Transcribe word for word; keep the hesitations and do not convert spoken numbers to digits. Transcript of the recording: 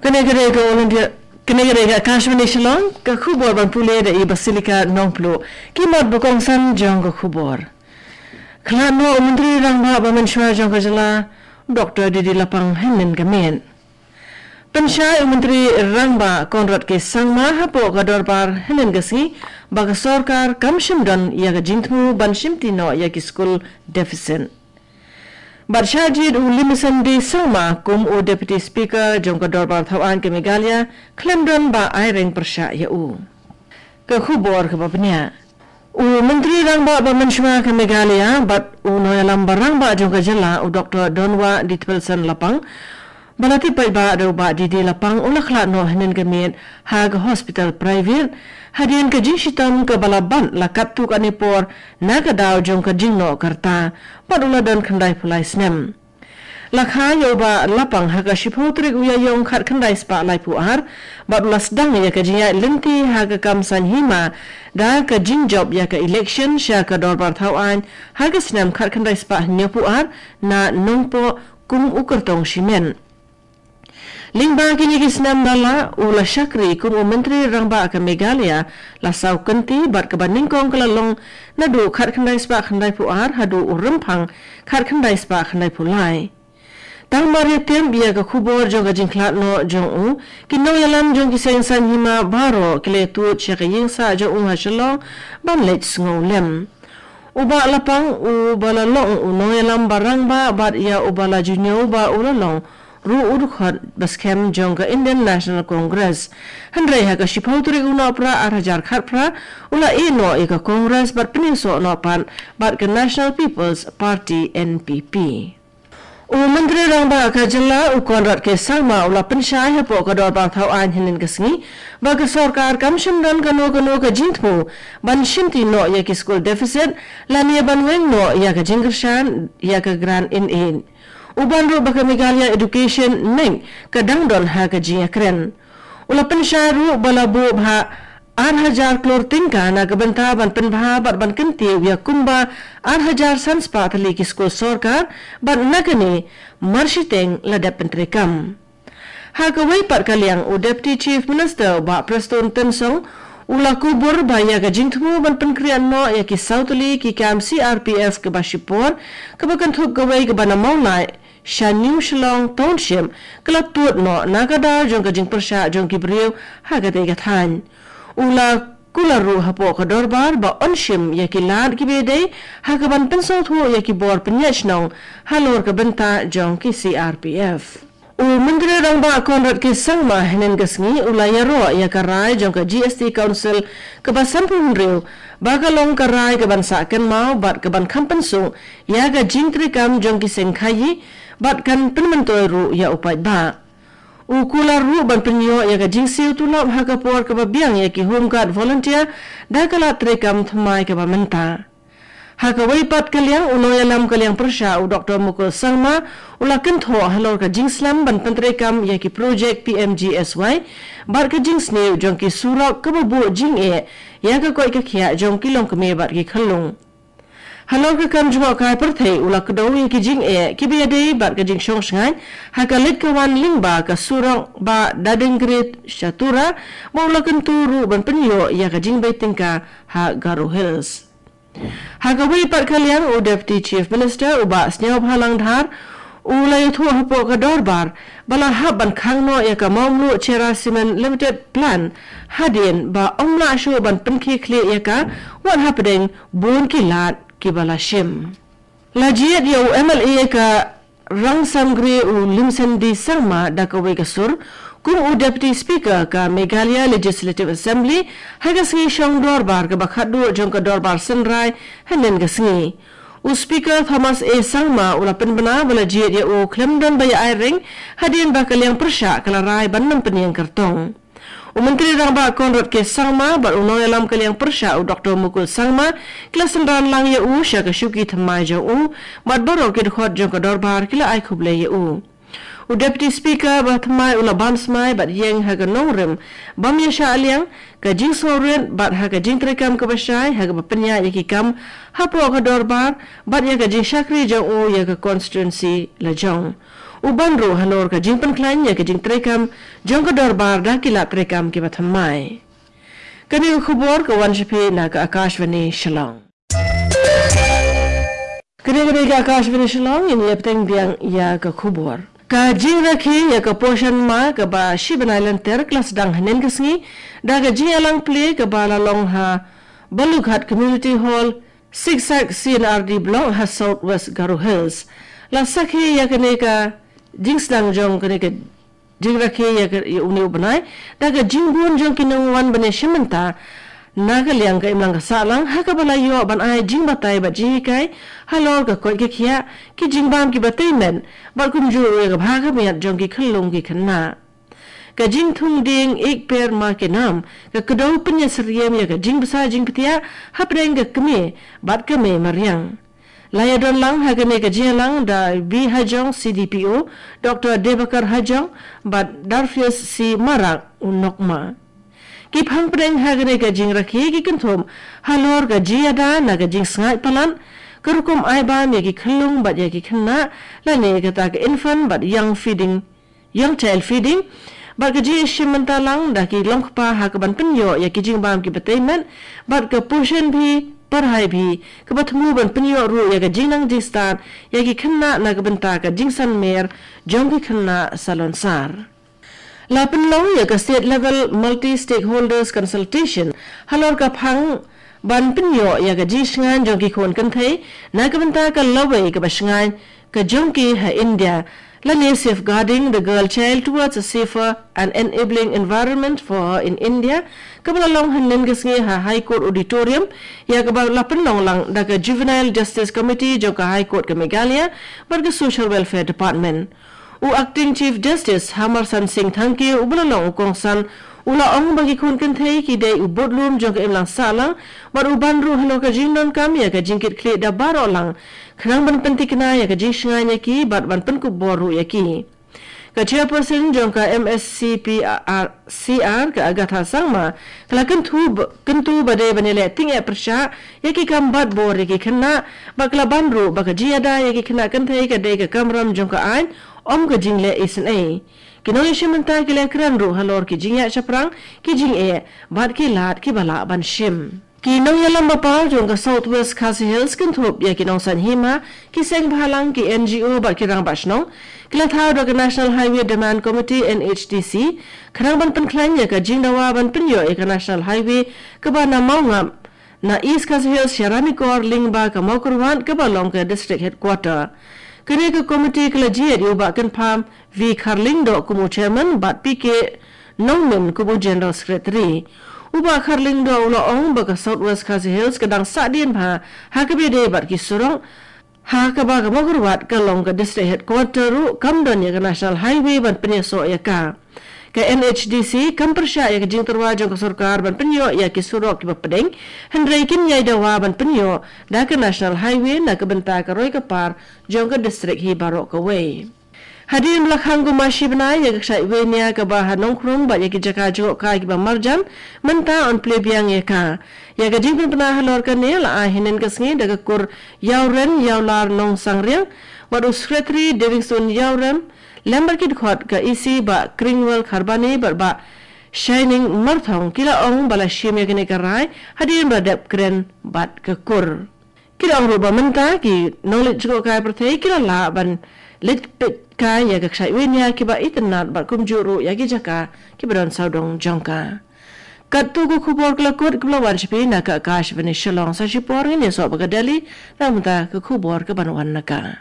Kane ka dei ka All India, kane ka dei ka Akashvani Shillong, ka khubor ban pule da i Basilika Nongpluh. Ki mat ba kongsan jong ka khubor. Khlad noh u Myntri Rangbah ba mynshuwa jong ka jylla, Doctor D D Lapang hynnin ka miet. Pynshai u Myntri Rangbah Conrad K Sangma hapoh ka dorbar hynnin ka sngi ba ka sorkar kam shym don ïa ka jingthmu ban shimti noh ïa ki skul deficit. Bad shah jied u Limisen D Sangma kum u Deputy Speaker jong ka dorbar thawaiñ ka Meghalaya khlem don ba ai reng pyrshah ïa u. Ka khubor kaba bniah. U Myntri Rangbah ba mynshuwa ka Meghalaya bad u nongïalam ba rangbah jong ka jylla u Doctor Donwa D Thwelsen Lapang, ba la tip paidbah da u Bah D D Lapang u la khlad noh hynnin ka miet ha ka hospital private hadien ka jingshitom kaba la bat la katto katne por na ka daw jong ka jingnoh ka rta bad u la don khyndai phew lai snem. La kha ïa u Bah Lapang ha ka shiphew tarik u Ïaïong khatkhyndai spah laiphew ar bad u la sdang ïa ka jingïaid lynti ha ka kam saiñ hima da ka jingjop ïa ka election sha ka dorbar thawaiñ ha ka snem khatkhyndai spah hynñiewphew ar na Nongpoh kum u kyrtong shimet. Lyngba kine ki snem ba la u la shakri kum u Myntri Rangbah ka Meghalaya la saw kynti bad kaba nyngkong ka la long naduh khatkhyndai spah khyndaiphew ar haduh u Rymphang khatkhyndai spah khyndaiphew lai. Tang mar ïa tip ïa ka khubor jong ka jingkhlad noh jong u, ki nongïalam jong ki seng saiñ hima baroh ki la ïathuh sha ka ïing sah jong u ha Shillong ban leit sngew lem. U Bah Lapang u ba la long u nongïalam ba rangbah bad ïa u ba la ju ñiew ba u la long ruh u dkhot ba skhem jong ka Indian National Congress. Hynrei ha ka shiphew tarik u Nohprah ar hajar khatphra u la ïeh noh ïa ka Congress bad pynïasoh noh pat bad ka National People's Party N P P. U Myntri Rangbah ka jylla u Conrad K Sangma u la pynshai hapoh ka dorbar thawaiñ hynnin ka sngi ba ka sorkar kam shym don kano kano ka jingthmu ban shimti noh ïa ki skul deficit lane ban weng noh ïa ka jingkyrshan ïa ka grant in aid. U ban ruh ba ka Meghalaya Education Act ka dang don ha ka jingïakren. U la pynshai ruh ba la buh bha ar hajar klur tyngka na ka bynta ban pynbha bad ban kyntiew ïa kumba ar hajar san spah tylli ki skul sorkar bad na kane mar shiteng la dep pyntreikam. Ha kawei pat ka liang u Deputy Chief Minister u Bah Prestone Tynsong u la kubur ba ïa ka jingthmu ban pynkhreh noh ïa ki saw tylli ki kam C R P F kaba shipor kaba kynthup kawei kaba na Mawlai sha New Shillong Township ka la tud noh na ka daw jong ka jingpyrshah jong ki briew ha katei ka thaiñ. U la kular ruh hapoh ka dorbar ba yn shim ïa ki lad kiba ïadei ha kaban pynsngewthuh ïa ki bor pynïaid shnong halor ka bynta jong ki C R P F. U Myntri Rangbah Conrad K Sangma hynnin ka sngi u la ïaroh ïa ka rai jong ka G S T Council kaba sanphew hynriew ba ka long ka rai kaban sah kynmaw bad kaban kham pynsuk ïa ka jingtreikam jong ki seng khaïi bad kan pynmyntoi ruh ïa u paidbah. U kular ruh ban pynïoh ïa ka jingsiew tulop ha ka por kaba biang ïa ki Home Guard volunteer da ka lad treikam thymmai kaba mynta. Ha kawei pat ka liang u nongïalam ka liang pyrshah u Doctor Mukul Sangma u la kynthoh halor ka jingslem ban pyntreikam ïa ki projek P M G S Y bad ka jingsniew jong ki surok kaba buh jingeh ïa ka koit ka khiah jong ki longkmie bad ki khyllung. Halor ka kam jngohkai pyrthei u la kdew ïa ki jingeh kiba ïadei bad ka jingshong shngaiñ ha ka leit ka wan lyngba ka surok ba Dadingri sha Tura ba u la kyntu ruh ban pynïoh ïa ka jingbei tyngka ha Garo Hills. Ha kawei pat ka liang u Deputy Chief Minister u Bah Sniawbhalang Dhar u la ïathuh hapoh ka dorbar ba la hap ban khang noh ïa ka Mawmluh Cherra Cement Limited Plant hadien ba ym lah shuh ban pynkhie khlieh ïa ka wat hapdeng bun ki lad kiba la shim. La jied ïa u M L A ka Rangsamgre u Limsen D Sangma da kawei ka sur kum u Deputy Speaker ka Meghalaya Legislative Assembly ha ka sngi shong dorbar kaba khatduh jong ka dorbar synrai hynnin ka sngi. U Speaker Thomas A Sangma u la pynbna ba la jied ïa u khlem don ba ïa ai reng hadien ba ka liang pyrshah ka la rai ban nym pynïeng kyrtong. U Myntri Rangbah Conrad K Sangma bad u nongïalam ka liang pyrshah u Doctor Mukul Sangma ki la synran lang ïa u sha ka shuki thymmai jong u bad baroh ki dkhot jong ka dorbar ki la ai khublei ïa u. U Deputy Speaker ba thymmai u la ban smai bad ïeng ha ka nongrim bym ïashah liang, ka jingsngewrit bad ha ka jingtreikam kaba shai ha kaba pynïaid ïa ki kam hapoh ka dorbar bad ïa ka jingshakri jong u ïa ka constituency lajong. U ban ruh halor ka jingpynkhlaiñ ïa ka jingtreikam jong ka dorbar da ki lad treikam kiba thymmai. Kane ka khubor ka wan sha phi na ka Akashvani Shillong. Kane ka dei ka Akashvani Shillong, ngin ïa bteng biang ïa ka khubor. Ka jingrakhe ïa ka Poshan Maah kaba shi bnai lynter ka la sdang hynnin ka sngi da ka jingïalang plie kaba la long ha Balughat Community Hall, Siksak C and R D Block ha South West Garo Hills. La sakhi ïa kane ka jingsdang jong kane ka jingrakhe ïa ka, ïa une u bnai da ka jingbun jong ki nongwan ban ïashim bynta na ka liang ka imlang ka sahlang ha kaba la ïoh ban ai jingbatai bad jinghikai halor ka koit ka khiah, ki jingbam kiba tei met bad kumjuh ruh ïa ka bha ka miat jong ki khyllung ki khynnah. Ka jingthung dieng Ek Ped Maa Ke Naam ka kdew pynïasyriem ïa ka jingbsa jingpytiah hapdeng ka kmie bad ka mei mariang. La ïadon lang ha kane ka jingïalang da B Hajong, C D P O, Doctor Debakar Hajong bad Darfius C Marak, u nokma. Ki phang pdeng ha kane ka jingrakhe ki kynthup halor ka jingïada na ka jingsngaid palat, ka rukom ai bam ïa ki khyllung bad ïa ki khynnah, lane kata ka infant bad young feeding, young child feeding, bad ka jingïashim bynta lang da ki longkpa ha kaban pynïoh ïa ki jingbam kiba tei met, bad ka Poshan Bhi, Padhai Bhi, kaba thmu ban pynïoh ruh ïa ka jingnang jingstad ïa ki khynnah na ka bynta ka jingsan mer jong ki khynnah salonsar. La pynlong ïa ka State Level Multi Stakeholders Consultation halor ka phang ban pynïoh ïa ka jingshngaiñ jong ki khun kynthei na ka bynta ka lawei kaba shngaiñ ka jong ki ha India, lane Safeguarding the Girl Child Towards a Safer and Enabling Environment for Her in India, kaba la long hynnin ka sngi ha High Court Auditorium, ïa kaba la pynlong lang da ka Juvenile Justice Committee jong ka High Court ka Meghalaya bad ka Social Welfare Department. U Acting Chief Justice Hamarsan Singh Thangkhiew uba la long u kongsan u la ong ba ki khun kynthei ki dei u budlum jong ka imlang sahlang, bad u ban ruh halor ka jingdonkam ïa ka jingkitkhlieh da baroh lang khnang ban pynthikna ïa ka jingshngaiñ ïa ki bad ban pynkup bor ruh ïa ki. Ka Chairperson jong ka M S C P R C R, ka Agatha Sangma, ka la kyntu ba, kyntu ba dei ban ïaleh tyngeh pyrshah ïa ki kam bat bor ïa ki khynnah, bad ka la ban ruh ba ka jingïada ïa ki khynnah kynthei ka dei ka kamram jong ka aiñ, ym ka jingleh isynei. Ki nongïashim bynta ki la kren ruh halor ki jingïaid shaphrang, ki jingeh bad ki lad kiba lah ban shim. Ki nongïalam ba paw jong ka South West Khasi Hills kynthup ïa ki nongsaiñ hima, ki seng bhalang, ki N G O bad ki rangbah shnong, ki la thaw da ka National Highway Demand Committee, N H D C, khnang ban pynkhlaiñ ïa ka jingdawa ban pynïoh ïa ka National Highway kaba na Mawngap, na East Khasi Hills sha Ranikor lyngba ka Mawkyrwat kaba long ka District Headquarter. Kane ka committee ka la jied ïa u Bah Kynpham V Kharlyngdoh kum u Chairman bad P K Nongmyn kum u General Secretary. U Bah Kharlyngdoh u la ong ba ka South West Khasi Hills ka dang sahdien bha ha kaba ïadei bad ki surok, ha kaba ka Mawkyrwat ka long ka District Headquarter ruh kam don ïa ka National Highway ban pynïasoh ïa ka. Ka N H D C kam pyrshah ïa ka jingtyrwa jong ka sorkar ban pynïoh ïa ki surok kiba pdeng, hynrei kin ïai dawa ban pynïoh da ka National Highway na ka bynta ka roi ka par jong ka district hi baroh kawei. Hadien ba la khang kumba shi bnai ïa ka kshaid wei nia kaba ha Nongkrem bad ïa ki jaka jngohkai kiba marjan, mynta yn plie biang ïa ka. Ïa ka jingpynbna halor kane la ai hynnin ka sngi da ka kur Ïawren Ïawlar Nongsangriang, bad u Secretary Davidson Ïawren, lem bad ki dkhot ka E C Bah Kringwell Kharbani bad Bah Shining Marthong, ki la ong ba la shim ïa kane ka rai hadien ba la dep kren bad ka kur. Ki la ong ruh ba mynta ki nongleit jngohkai pyrthei ki la lah ban leit peit kai ïa ka kshaid wei nia kiba itynnad bad kumjuh ruh ïa ki jaka kiba don sawdong jong ka. Katto ka khubor ka la kut kaba la wan sha phi na ka Akashvani Shillong. Sa shipor ngin ïasoh bad ka Delhi, na mynta ka khubor kaban wan na ka